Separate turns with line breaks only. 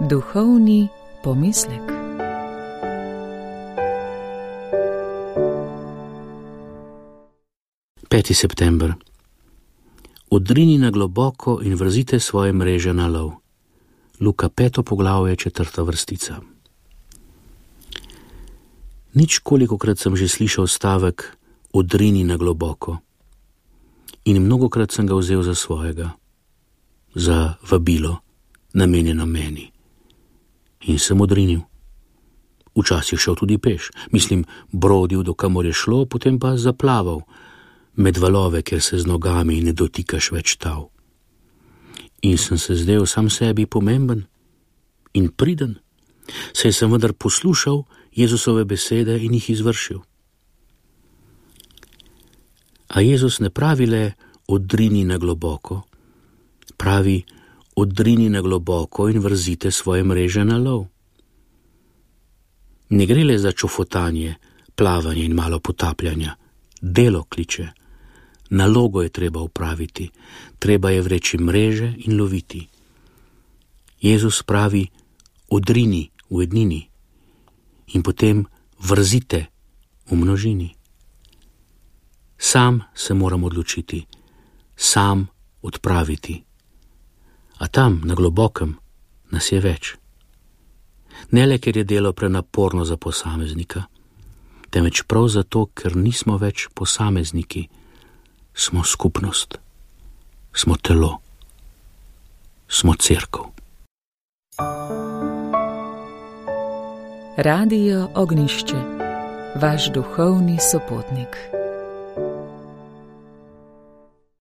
Duhovni pomislek.
Peti september. Odrini na globoko in vrzite svoje mreže na lov. Luka 5. poglavje 4. vrstica. Ničkolikokrat sem že slišal stavek odrini na globoko in mnogokrat sem ga vzel za svojega, za vabilo, namenjeno meni. In sem odrinil. Včasih šel tudi peš, brodil do kamor je šlo, potem pa zaplaval med valove, kjer se z nogami ne dotikaš več tal. In sem se zdel sam sebi pomemben in priden, saj sem vendar poslušal Jezusove besede in jih izvršil. A Jezus ne pravi le odrini na globoko, pravi odrini na globoko in vrzite svoje mreže na lov. Ne gre le za čofotanje, plavanje in malo potapljanja. Delo kliče. Nalogo je treba upraviti, treba je vreči mreže in loviti. Jezus pravi odrini v ednini in potem vrzite v množini. Sam se moram odločiti, sam odpraviti. A tam, na globokem, nas je več. Ne le, ker je delo prenaporno za posameznika, temveč prav zato, ker nismo več posamezniki, smo skupnost, smo telo, smo cerkev.
Radio Ognjišče, vaš duhovni sopotnik.